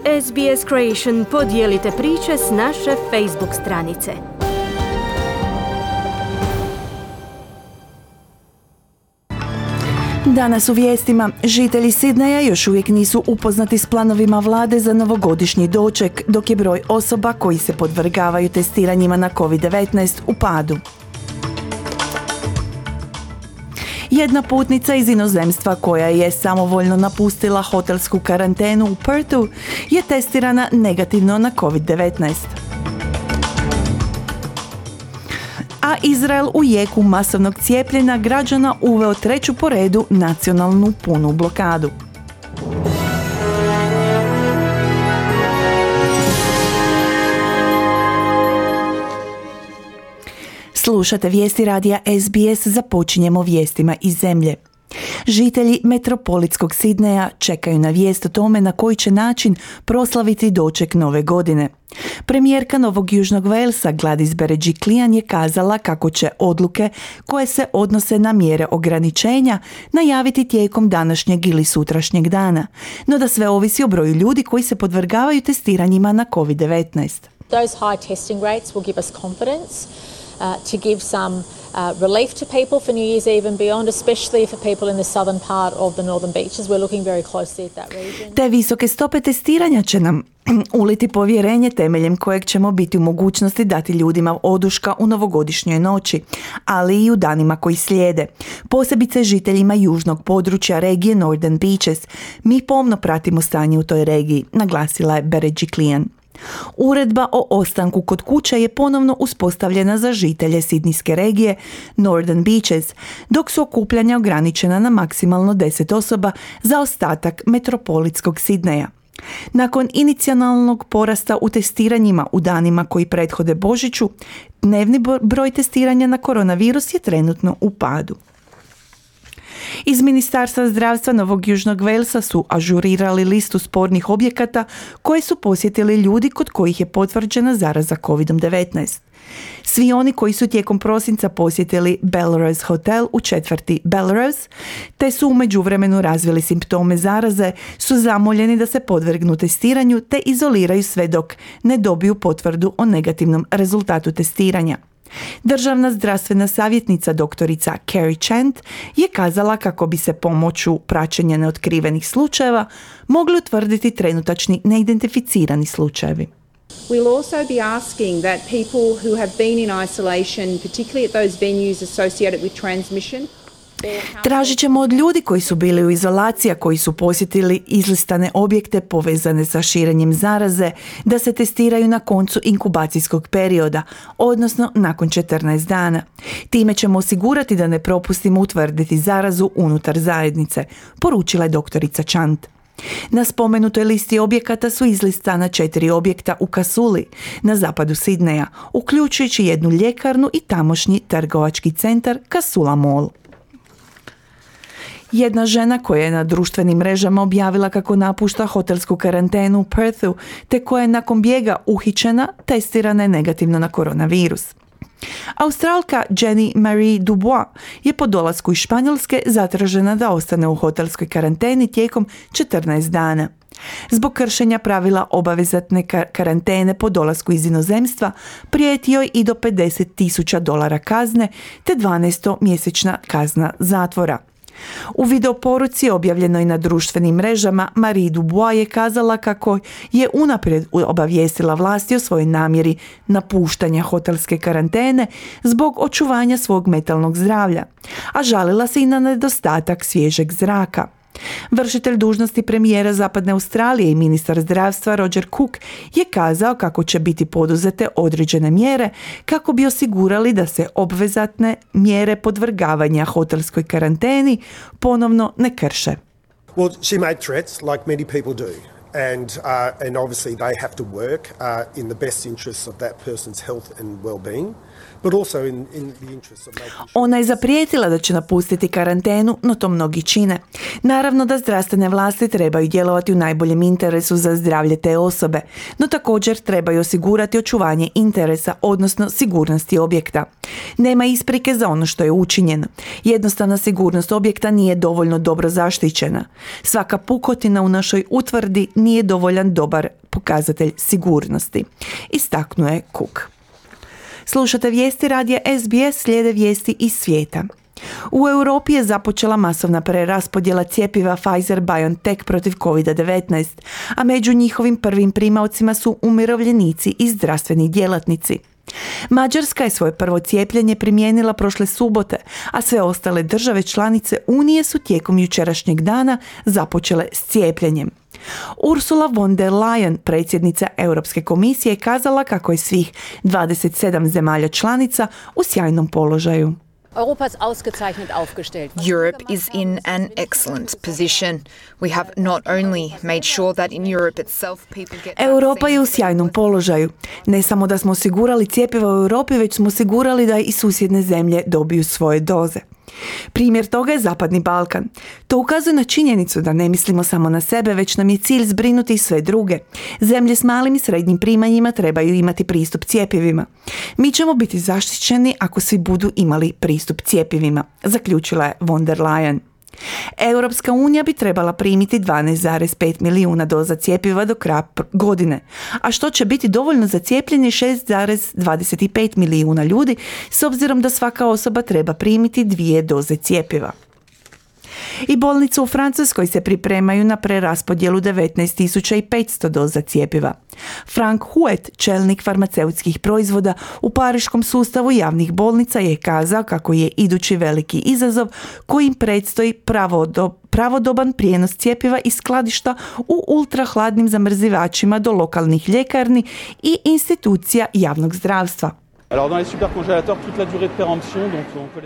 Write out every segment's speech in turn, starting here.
SBS Creation podijelite priče s naše Facebook stranice. Danas u vijestima, žitelji Sidneja još uvijek nisu upoznati s planovima vlade za novogodišnji doček, dok je broj osoba koji se podvrgavaju testiranjima na COVID-19 u padu. Jedna putnica iz inozemstva koja je samovoljno napustila hotelsku karantenu u Perthu je testirana negativno na COVID-19. A Izrael u jeku masovnog cijepljenja građana uveo treću po redu nacionalnu punu blokadu. Slušate vijesti radija SBS, započinjemo vijestima iz zemlje. Žitelji metropolitskog Sidneja čekaju na vijest o tome na koji će način proslaviti doček nove godine. Premijerka Novog Južnog Walesa Gladys Berejiklian je kazala kako će odluke koje se odnose na mjere ograničenja najaviti tijekom današnjeg ili sutrašnjeg dana, no da sve ovisi o broju ljudi koji se podvrgavaju testiranjima na COVID-19. Those high testing rates will give us confidence to give some relief to people for New Year's Eve and beyond, especially for people in the southern part of the northern beaches. We're looking very closely at that region. Te visoke stope testiranja će nam uliti povjerenje temeljem kojeg ćemo biti u mogućnosti dati ljudima oduška u novogodišnjoj noći, ali i u danima koji slijede. Posebice žiteljima južnog područja regije Northern Beaches. Mi pomno pratimo stanje u toj regiji, naglasila je Berejiklian. Uredba o ostanku kod kuće je ponovno uspostavljena za žitelje sidnijske regije Northern Beaches, dok su okupljanja ograničena na maksimalno 10 osoba za ostatak metropolitskog Sidneja. Nakon inicijalnog porasta u testiranjima u danima koji prethode Božiću, dnevni broj testiranja na koronavirus je trenutno u padu. Iz Ministarstva zdravstva Novog Južnog Walesa su ažurirali listu spornih objekata koje su posjetili ljudi kod kojih je potvrđena zaraza COVID-19. Svi oni koji su tijekom prosinca posjetili Belrose Hotel u četvrti Belrose, te su u međuvremenu razvili simptome zaraze, su zamoljeni da se podvrgnu testiranju te izoliraju sve dok ne dobiju potvrdu o negativnom rezultatu testiranja. Državna zdravstvena savjetnica doktorica Carrie Chant je kazala kako bi se pomoću praćenja neotkrivenih slučajeva mogli utvrditi trenutačni neidentificirani slučajevi. We'll also be asking that people who have been in isolation, particularly at those venues associated with transmission, tražit ćemo od ljudi koji su bili u izolaciji, a koji su posjetili izlistane objekte povezane sa širenjem zaraze, da se testiraju na koncu inkubacijskog perioda, odnosno nakon 14 dana. Time ćemo osigurati da ne propustimo utvrditi zarazu unutar zajednice, poručila je doktorica Chant. Na spomenutoj listi objekata su izlistana 4 objekta u Casuli, na zapadu Sidneja, uključujući jednu ljekarnu i tamošnji trgovački centar Casula Mall. Jedna žena koja je na društvenim mrežama objavila kako napušta hotelsku karantenu u Perthu, te koja je nakon bijega uhićena, testirana je negativno na koronavirus. Australka Jenny Marie Dubois je po dolasku iz Španjolske zatražena da ostane u hotelskoj karanteni tijekom 14 dana. Zbog kršenja pravila obavezatne karantene po dolasku iz inozemstva prijeti joj i do $50,000 kazne te 12-mjesečna kazna zatvora. U videoporuci objavljenoj na društvenim mrežama Marie Dubois je kazala kako je unaprijed obavijestila vlasti o svojoj namjeri napuštanja hotelske karantene zbog očuvanja svog mentalnog zdravlja, a žalila se i na nedostatak svježeg zraka. Vršitelj dužnosti premijera Zapadne Australije i ministar zdravstva Roger Cook je kazao kako će biti poduzete određene mjere kako bi osigurali da se obvezatne mjere podvrgavanja hotelskoj karanteni ponovno ne krše. Well, she made threats like many people do. And obviously they have to work in the best interests of that person's health and well-being. Ona je zaprijetila da će napustiti karantenu, no to mnogi čine. Naravno da zdravstvene vlasti trebaju djelovati u najboljem interesu za zdravlje te osobe, no također trebaju osigurati očuvanje interesa, odnosno sigurnosti objekta. Nema isprike za ono što je učinjeno. Jednostavna sigurnost objekta nije dovoljno dobro zaštićena. Svaka pukotina u našoj utvrdi nije dovoljan dobar pokazatelj sigurnosti, istaknuo je Cook. Slušate vijesti radija SBS, slijede vijesti iz svijeta. U Europi je započela masovna preraspodjela cjepiva Pfizer-BioNTech protiv COVID-19, a među njihovim prvim primaocima su umirovljenici i zdravstveni djelatnici. Mađarska je svoje prvo cijepljenje primijenila prošle subote, a sve ostale države članice Unije su tijekom jučerašnjeg dana započele s cijepljenjem. Ursula von der Leyen, predsjednica Europske komisije, kazala kako je svih 27 zemalja članica u sjajnom položaju. Europe is in an excellent position. We have not only made sure that in Europe itself people get Europa je u sjajnom položaju. Ne samo da smo osigurali cjepiva u Europi, već smo osigurali da i susjedne zemlje dobiju svoje doze. Primjer toga je Zapadni Balkan. To ukazuje na činjenicu da ne mislimo samo na sebe, već nam je cilj zbrinuti i sve druge. Zemlje s malim i srednjim primanjima trebaju imati pristup cjepivima. Mi ćemo biti zaštićeni ako svi budu imali pristup cjepivima, zaključila je von der Leyen. Europska unija bi trebala primiti 12,5 milijuna doza cjepiva do kraja godine, a što će biti dovoljno za cijepljenje 6,25 milijuna ljudi, s obzirom da svaka osoba treba primiti 2 doze cjepiva. I bolnice u Francuskoj se pripremaju na preraspodjelu 19.500 doza cjepiva. Frank Huet, čelnik farmaceutskih proizvoda u pariškom sustavu javnih bolnica, je kazao kako je idući veliki izazov kojim predstoji pravodoban prijenos cjepiva iz skladišta u ultrahladnim zamrzivačima do lokalnih ljekarni i institucija javnog zdravstva.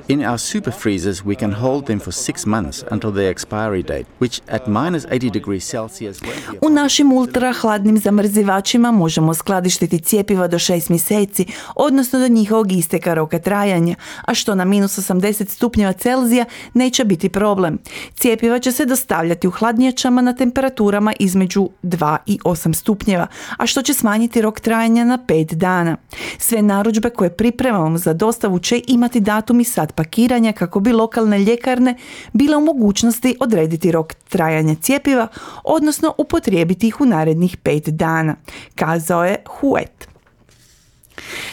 In our super freezers, we can hold them for 6 months until their expiry date, which at minus 80 degrees Celsius... U našim ultrahladnim zamrzivačima možemo skladištiti cjepiva do 6 mjeseci, odnosno do njihovog isteka roka trajanja, a što na minus 80 stupnjeva Celzija neće biti problem. Cjepiva će se dostavljati u hladnjačama na temperaturama između 2 i 8 stupnjeva, a što će smanjiti rok trajanja na 5 dana. Sve narudžbe koje pripremamo za dostavu će imati datum i sat pakiranja kako bi lokalne ljekarne bile u mogućnosti odrediti rok trajanja cjepiva, odnosno upotrijebiti ih u narednih 5 dana, kazao je Huet.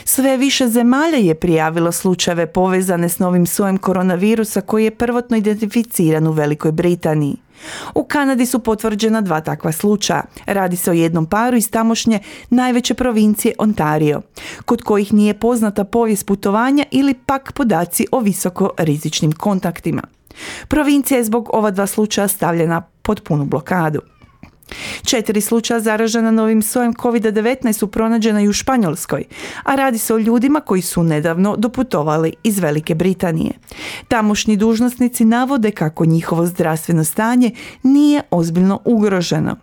Sve više zemalja je prijavilo slučajeve povezane s novim sojem koronavirusa koji je prvotno identificiran u Velikoj Britaniji. U Kanadi su potvrđena 2 takva slučaja. Radi se o jednom paru iz tamošnje najveće provincije Ontario, kod kojih nije poznata povijest putovanja ili pak podaci o visoko rizičnim kontaktima. Provincija je zbog ova 2 slučaja stavljena pod punu blokadu. 4 slučaja zaražena novim sojem COVID-19 su pronađena i u Španjolskoj, a radi se o ljudima koji su nedavno doputovali iz Velike Britanije. Tamošnji dužnosnici navode kako njihovo zdravstveno stanje nije ozbiljno ugroženo.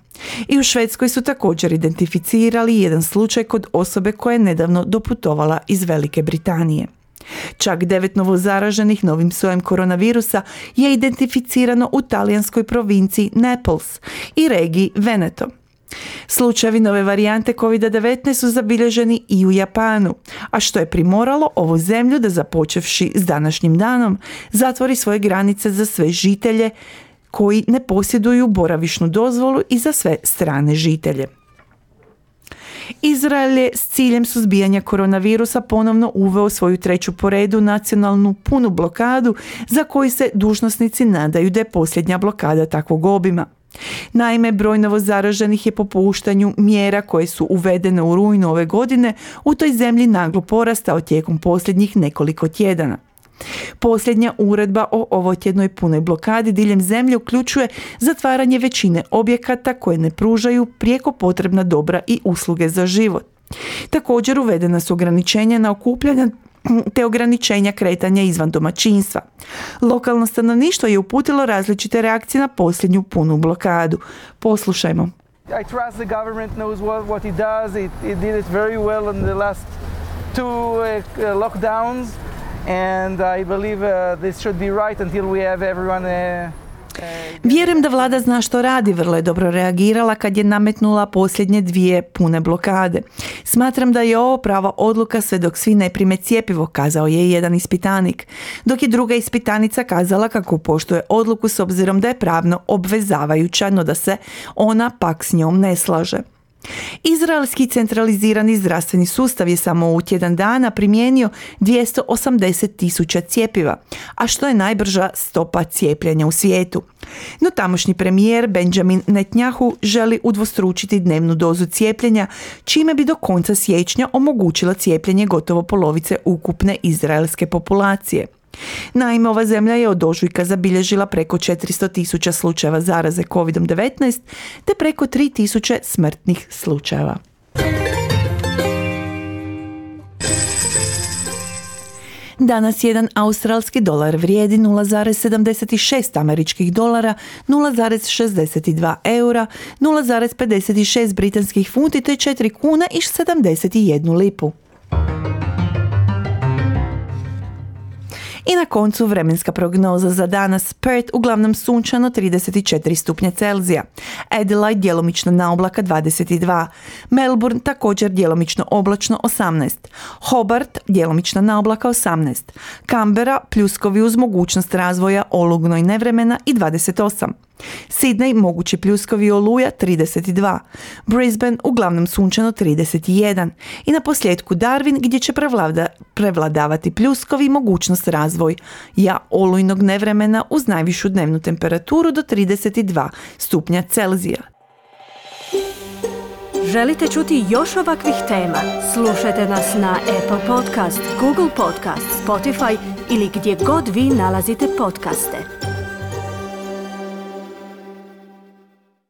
I u Švedskoj su također identificirali jedan slučaj kod osobe koja je nedavno doputovala iz Velike Britanije. Čak 9 novozaraženih novim sojem koronavirusa je identificirano u talijanskoj provinciji Naples i regiji Veneto. Slučajevi nove varijante COVID-19 su zabilježeni i u Japanu, a što je primoralo ovu zemlju da, započevši s današnjim danom, zatvori svoje granice za sve žitelje koji ne posjeduju boravišnu dozvolu i za sve strane žitelje. Izrael je s ciljem suzbijanja koronavirusa ponovno uveo svoju 3. po redu nacionalnu punu blokadu za koju se dužnosnici nadaju da je posljednja blokada takvog obima. Naime, broj novozaraženih je po puštanju mjera koje su uvedene u rujnu ove godine u toj zemlji naglo porastao tijekom posljednjih nekoliko tjedana. Posljednja uredba o ovotjednoj punoj blokadi diljem zemlje uključuje zatvaranje većine objekata koje ne pružaju prijeko potrebna dobra i usluge za život. Također uvedena su ograničenja na okupljanja te ograničenja kretanja izvan domaćinstva. Lokalno stanovništvo je uputilo različite reakcije na posljednju punu blokadu. Poslušajmo. I trust the government knows what it does. It did it very well in the last 2 lockdowns. And I believe this should be right until we have everyone Vjerujem da vlada zna što radi, vrlo je dobro reagirala kad je nametnula posljednje 2 pune blokade. Smatram da je ovo prava odluka sve dok svi ne prime cjepivo, kazao je jedan ispitanik, dok je druga ispitanica kazala kako poštuje odluku s obzirom da je pravno obvezavajuća, no da se ona pak s njom ne slaže. Izraelski centralizirani zdravstveni sustav je samo u tjedan dana primijenio 280.000 cjepiva, a što je najbrža stopa cijepljenja u svijetu. No tamošnji premijer Benjamin Netanyahu želi udvostručiti dnevnu dozu cijepljenja, čime bi do konca siječnja omogućila cijepljenje gotovo polovice ukupne izraelske populacije. Naime, ova zemlja je od ožujka zabilježila preko 400.000 slučajeva zaraze COVID-19 te preko 3.000 smrtnih slučajeva. Danas jedan australski dolar vrijedi 0,76 američkih dolara, 0,62 eura, 0,56 britanskih funti te 4 kuna i 71 lipu. I na koncu vremenska prognoza za danas. Perth uglavnom sunčano 34 stupnja Celzija. Adelaide djelomično na oblaka 22. Melbourne također djelomično oblačno 18. Hobart djelomično na oblaka 18. Canberra pljuskovi uz mogućnost razvoja olujnog nevremena i 28. Sydney mogući pljuskovi i oluja 32. Brisbane uglavnom sunčano 31. I na posljedku Darwin gdje će prevladavati pljuskovi i mogućnost razvoja olujnog nevremena uz najvišu dnevnu temperaturu do 32 stupnja Celzija. Želite čuti još ovakvih tema? Slušajte nas na Apple Podcast, Google Podcast, Spotify ili gdje god vi nalazite podcaste.